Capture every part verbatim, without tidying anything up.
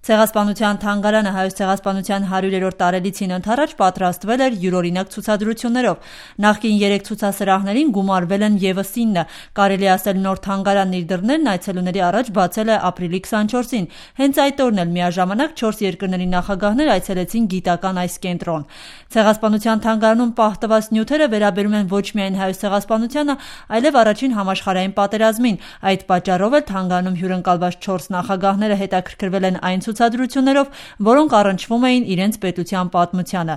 Ցեղասպանության թանգարանը Հայոց ցեղասպանության հարյուրերորդ տարելիցին ընդառաջ պատրաստվել էր յուրօրինակ ցուցադրություններով։ Նախկին երեք ցուցասրահներին գումարվել են ևս ինը։ Կարելի ասել նոր թանգարանն իր դռներն այցելուների առաջ բացել է ապրիլի քսանչորսին։ Հենց այդ օրն էլ միաժամանակ չորս երկրների նախագահներ այցելեցին գիտական այս կենտրոն։ Ցեղասպանության թանգարանում պահտված նյութերը վերաբերում են ոչ միայն հայոց ցեղասպանությանը, այլև առաջին համաշխարհային պատերազմին։ Այդ պատճառով էլ թանգարանում հյուրընկալված չորս նախագահները հետաքրքրվել են այն ցուցադրություններով, որոնք առնչվում էին իրենց պետության պատմությանը։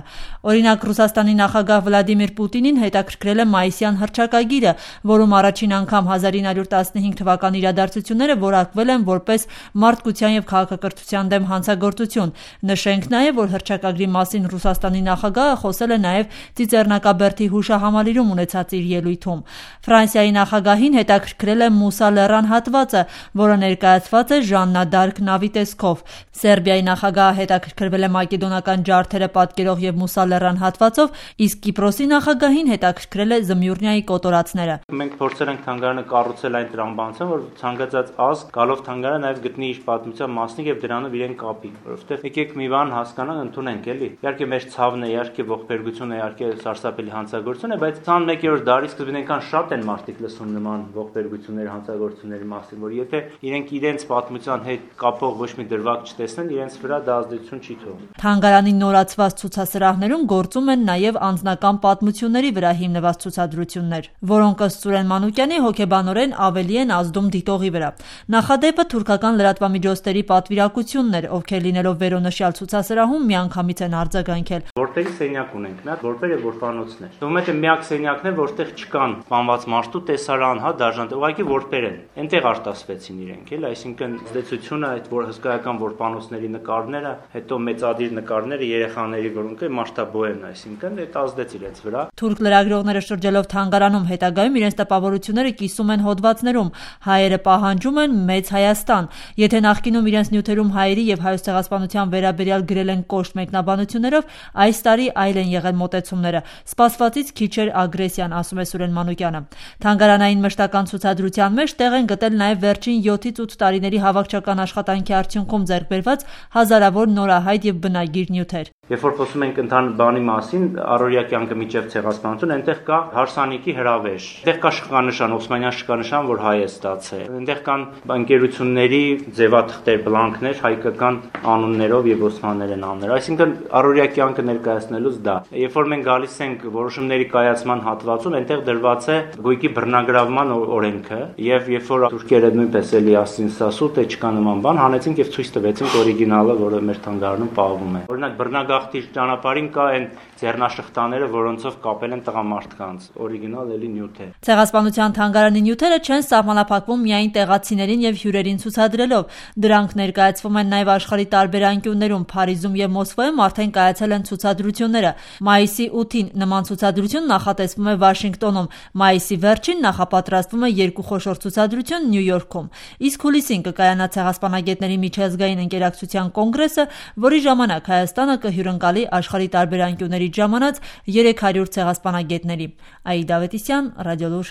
Օրինակ, Ռուսաստանի նախագահ Վլադիմիր Պուտինին հետաքրքրել է մայիսյան հռչակագիրը, որում առաջին անգամ հազար ինը հարյուր տասնհինգ թվականի իրադարձությունները որակվել են որպես մարդկության եւ քաղաքակրթության դեմ հանցագործություն։ Նշենք նաեւ, որ հռչակագրի մասին Ռուսաստանի նախագահը խոսել է նաեւ Ծիծեռնակաբերդի հուշահամալիրում ունեցած իր ելույթում։ Ֆրանսիայի նախագահին հետաքրքրել է Մուսա լեռան հատվածը, որը ներկայացված է Ժաննա դարկ նավի տեսքով։ Սերբիայի նախագահը հետաքրքրվել է մակեդոնական ջարդերը պատկերող եւ Մուսա լեռան հատվածով, իսկ Կիպրոսի նախագահին հետաքրքրել է Զմյուռնիայի կոտորածները։ Մենք փորձել ենք թանգարանը կառուցել այն տրամաբանությամբ, որ ցանկացած ազգ գալով թանգարան նաեւ գտնի իր պատմության մասնիկ եւ դրանով իրեն կապի, որովհետեւ եկեք մի բան հասկանանք, ընդունենք էլի։ Իհարկե մեր ցավն է, իհարկե ողբերգությունը, իհարկե սարսափելի հանցագործություն է, բայց քսաներկերորդ դարի սկզբին այնքան շատ են մարդիկ լսում նման ողբերգությունների, հանցագործությունների մասին, որ եթե իրենք իրենց պատմության հետ կապող ոչ մի դրվագ չտեսնեն, իրենց վրա դա ազդեցություն չի թողնում։ Թանգարանի նորացված ցուցասրահներում գործում են նաև անձնական պատմությունների վրա հիմնված ցուցադրություններ, որոնք ըստ Սուրեն Մանուկյանի հոգեբանորեն ավելի են ազդում դիտողի վրա։ Նախադեպը թուրքական լրատվամիջոցների պատվիրակությունն էր, ովքեր լինելով վերոնշյալ ցուցասրահում միանգամից են արձագանքել։ Որտեղի սենյակ ունենք, մի հատ որտեղ եւ որպանոցներ։ Թվում է թե միակ սենյակն է, որտեղ չկան սպանված մարդու տեսարան, հա, դաժան, ուղղակի որտեր են։ Այնտեղ արտասվեցին իրենք, էլ, այսինքն զդեցությունը այդ որ հսկայական որպանոցների նկարները, հետո մեծադիր նկարները երեխաների, որոնք մարտաբո են, այսինքն այդ ազդեց իրենց վրա։ Թուրք լրագրողները շրջելով թանգարանում հետագայում իրենց տպավորությունները կիսում են հոդվածներում։ Հայերը պահանջում են մեծ Հայաստան։ Եթե նախկինում իրենց նյութերում հայերի եւ հայոց ցեղասպանության վերաբերյալ գրել են կոշտ մեկնաբանություններով, այս տարի այլ են եղել մոտեցումները։ Սպասվածից քիչ էր ագրեսիան, ասում է Սուրեն Մանուկյանը։ Թանգարանային մշտական ցուցադրության մեջ տեղ են գտել նաեւ վերջին յոթից ութ տարիների հավաքչական աշխատանքի արդյունքում ձեռք բերված հազարավոր նորահայտ եւ բնագիր նյութեր։ Երբ որ խոսում ենք ընդհանուր բանի մասին, առօրյա կյանքը միջև ցեղասպանություն, այնտեղ կա հարսանիքի հրավեր։ Այնտեղ կա շքանշան, Օսմանյան շքանշան, որ հայ է ստացել։ Այնտեղ կան ընկերությունների ձևաթղթեր, բլանքներ, հայկական անուններով եւ օսմաներեն անուններ։ Այսինքն առօրյա կյանքը ներկայացնելուց դա։ Երբ որ մենք գալիս ենք որոշումների կայացման հատվածում, այնտեղ դրված է գույքի բռնագրավման օրենքը, եւ երբ որ թուրքերը նույնպես էլի ասին սասու, թե չկա նման բան, հանեցինք եւ ցույց տվեցինք օրիգինալը, որը մեր թանգարանում պահվում է։ Օրինակ բռնագաղթի ճանապարհին կա այն ձեռնաշխտաները, որոնցով կապել են տղամարդկանց, օրիգինալ էլի նյութ է։ Ցեղասպանության թանգարանի նյութերը չեն սահմանափակվում միայն տեղացիներին եւ հյուրերին ցուցադրելով։ Դրանք ներկայացվում են նաեւ աշխարհի տարբեր անկյուններում։ Փարիզում եւ Մոսկվայում արդեն կայացել են ցուցադրությունները։ Մայիսի ութին նման ցուցադրություն նախատեսվում է Վաշինգտոնում։ Մայիսի վերջին նախապատրաստվում է երկու խոշոր ցուցադրություն Նյու Յորքում։ Իսկ հուլիսին կկայանա ցեղասպանագետների միջազգային ընկերակցության կոնգրեսը, որի ժամանակ Հայաստանը կհյուրընկալի աշխարհի տարբեր անկյուններից ժամանած երեք հարյուր ցեղասպանագետների։ Աիդա Ավետիսյան, Ռադիոլուր։